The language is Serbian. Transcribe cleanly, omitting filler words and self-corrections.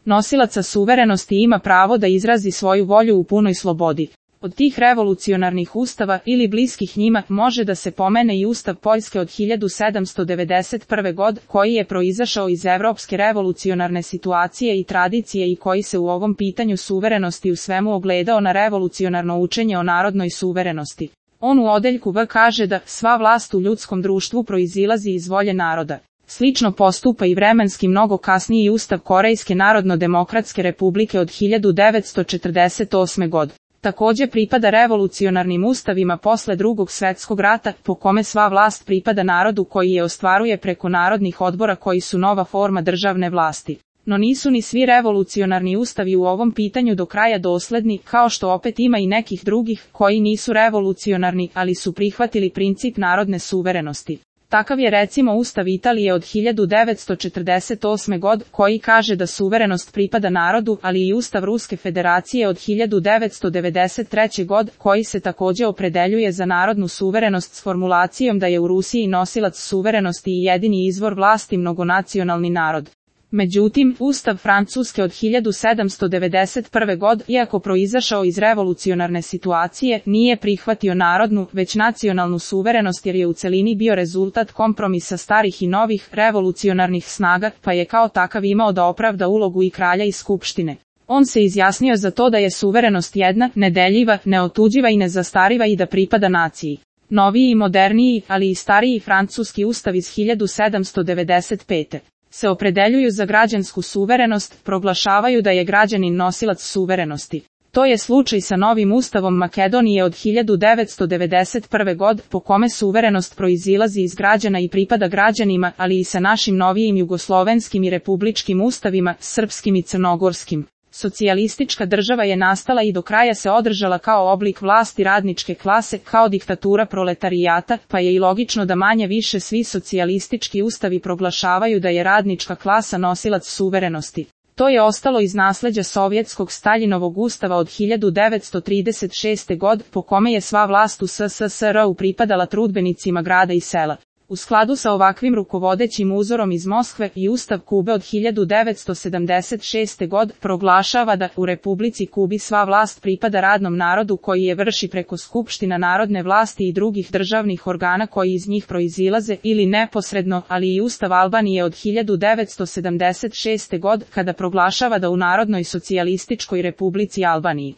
nosilaca suverenosti ima pravo da izrazi svoju volju u punoj slobodi. Od tih revolucionarnih ustava ili bliskih njima može da se pomene i Ustav Poljske od 1791. godine koji je proizašao iz evropske revolucionarne situacije i tradicije i koji se u ovom pitanju suverenosti u svemu ogledao na revolucionarno učenje o narodnoj suverenosti. On u odeljku V kaže da sva vlast u ljudskom društvu proizilazi iz volje naroda. Slično postupa i vremenski mnogo kasniji Ustav Korejske Narodno-demokratske republike od 1948. godine. Takođe pripada revolucionarnim ustavima posle Drugog svjetskog rata, po kome sva vlast pripada narodu koji je ostvaruje preko narodnih odbora koji su nova forma državne vlasti. No nisu ni svi revolucionarni ustavi u ovom pitanju do kraja dosledni, kao što opet ima i nekih drugih koji nisu revolucionarni, ali su prihvatili princip narodne suverenosti. Takav je recimo Ustav Italije od 1948. godine koji kaže da suverenost pripada narodu, ali i Ustav Ruske federacije od 1993. godine koji se takođe opredeljuje za narodnu suverenost s formulacijom da je u Rusiji nosilac suverenosti i jedini izvor vlasti mnogonacionalni narod. Međutim, Ustav Francuske od 1791. godine, iako proizašao iz revolucionarne situacije, nije prihvatio narodnu, već nacionalnu suverenost jer je u celini bio rezultat kompromisa starih i novih revolucionarnih snaga, pa je kao takav imao da opravda ulogu i kralja i skupštine. On se izjasnio za to da je suverenost jedna, nedeljiva, neotuđiva i nezastariva i da pripada naciji. Noviji i moderniji, ali i stariji francuski ustav iz 1795. se opredeljuju za građansku suverenost, proglašavaju da je građanin nosilac suverenosti. To je slučaj sa novim ustavom Makedonije od 1991. godine, po kome suverenost proizilazi iz građana i pripada građanima, ali i sa našim novijim jugoslovenskim i republičkim ustavima, srpskim i crnogorskim. Socijalistička država je nastala i do kraja se održala kao oblik vlasti radničke klase, kao diktatura proletarijata, pa je i logično da manje više svi socijalistički ustavi proglašavaju da je radnička klasa nosilac suverenosti. To je ostalo iz nasleđa sovjetskog Staljinovog ustava od 1936. godine, po kome je sva vlast u SSSR-u pripadala trudbenicima grada i sela. U skladu sa ovakvim rukovodećim uzorom iz Moskve i Ustav Kube od 1976. godine proglašava da u Republici Kubi sva vlast pripada radnom narodu koji je vrši preko skupština narodne vlasti i drugih državnih organa koji iz njih proizilaze ili neposredno, ali i Ustav Albanije od 1976. godine kada proglašava da u Narodnoj socijalističkoj Republici Albaniji